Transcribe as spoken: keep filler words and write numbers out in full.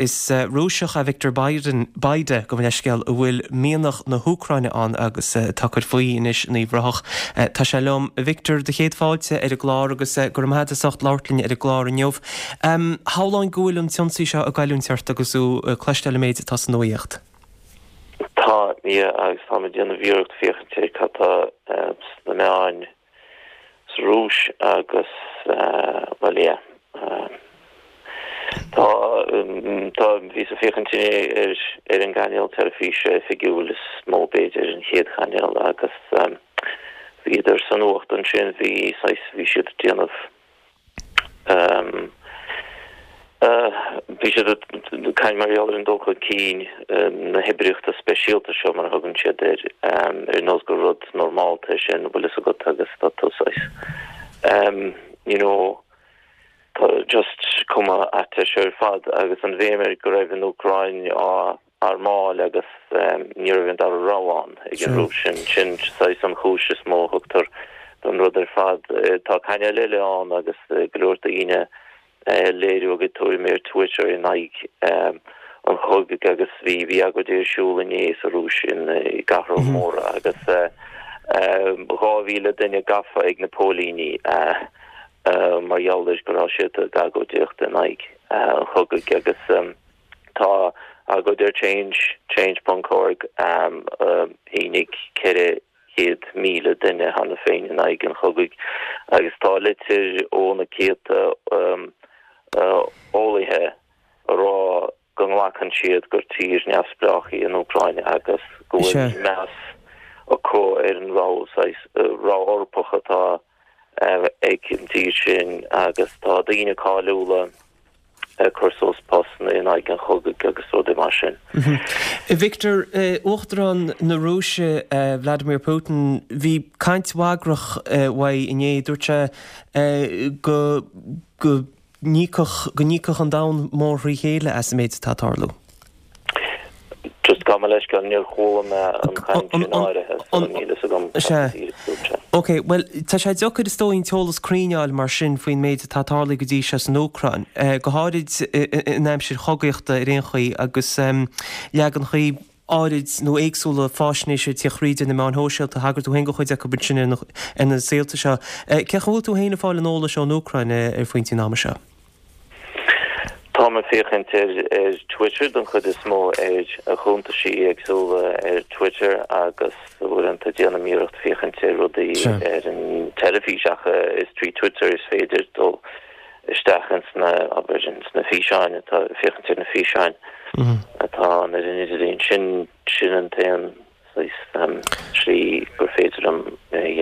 Is Rúiseach é Victor Biden Bayda gabh mo leithscéal a bhfuil mianach na hÚcráine ann agus atá ag cur faoi anois in Uíbh Ráthach. Tá sé liom Victor do chéad fáilte ar an gclár agus go raibh maith agat as ucht labhairt linn ar an gclár inniu. Shamhlóinn go bhfuil an t-ionsaí seo ag goilliúint ort agus tú ag cloisteáil an méid atá sa nuacht. Tá yeah agus tá mé ag déanamh iarracht féachaint ar cad tá sna meáin sa Rúis agus bhuel yeah tá tá bhíos ag féachaint inné ar ar an gcainéal teilifíse oifigiúil is mó b'fhéidir an chéad chainéal agus bhíodar sa nuacht ansin bhí saghas bhí siad ag déanamh Bhí siad ag caint mar gheall ar an dul chun cinn na hoibríochta speisialta seo mar a thugann siad air, ar nós gur rud normálta é sin, bhfuil fhios agat agus tá tú saghas you know tá just cuma ait air seo ar fad agus an bhéim air go raibh an Úcráin á armáil agus ní raibh an dara rogha ann ag an Rúis. Sin sin saghas an chúis is mó a thugtar don rud ar fad. Tá cainéil eile ann agus go leor daoine léiriú a gcuid tuairimí ar Twitter in aghaidh an chogaidh agus bhí bhí agóidí ar siúl inné sa Rúis in i gcathracha móra agus dhá mhíle duine gafa ag na póilíní mar gheall ar go raibh siad ag agóidíocht in aghaidh an chogaidh agus tá agóid ar Change, change ponc org, shínigh ceithre chéad míle duine cheana féin in aghaidh an chogaidh agus tá litir ó na céadta eolaithe a rá go nglacann siad gur tír neamhspleách í an Úcráin agus go bhfuil meas acu ar an rogha rogha Eorpach atá ag an tír sin agus tá daoine cáiliúla ag cur suas postanna in aghaidh an chogaidh agus rudaí mar sin. Victor, Uachtarán na Rúise, Vladimir Putin, bhí caint bhagrach uaidh inné, dúirt sé go go n-íocfadh go n-íocfadh an domhan mór thrí chéile as an méid atá ag tarlú. Just gabh mo leithscéal, níor chuala mé an chaint sin áirithe, so níl fhios agam cad Sea. a dúirt sé. Ok, bhuel, tá sé deacair is dóigh an t-eolas cruinn a fháil mar sin faoin méid atá tarlaithe go dtí seo san Úcráin, go háirid in aimsir chogaíochta ar aon chaoi agus leaganachaí áirid nó éagsúla faisnéise ag tíocht thríd ar na meáin shóisialta, thagair tú féin do chuid acu ansin ar na saolta seo. Cén chaoi a bhfuil tú féin ag fáil an eolais ón Úcráin ar phointí an ama seo? Táim ag féachaint ar ar Twitter don chuid is mó, ar a chuntaisí éagsúla ar Twitter agus uaireanta déanaim iarracht féachaint ar rudaí ar an teilifís ach is trí Twitter is féidir dul isteach ins na, abair, ins na físeáin atá, féachaint ar na físeáin atá ann ar an idirlíon. Sin, sin an t-aon saghas slí gur féidir liom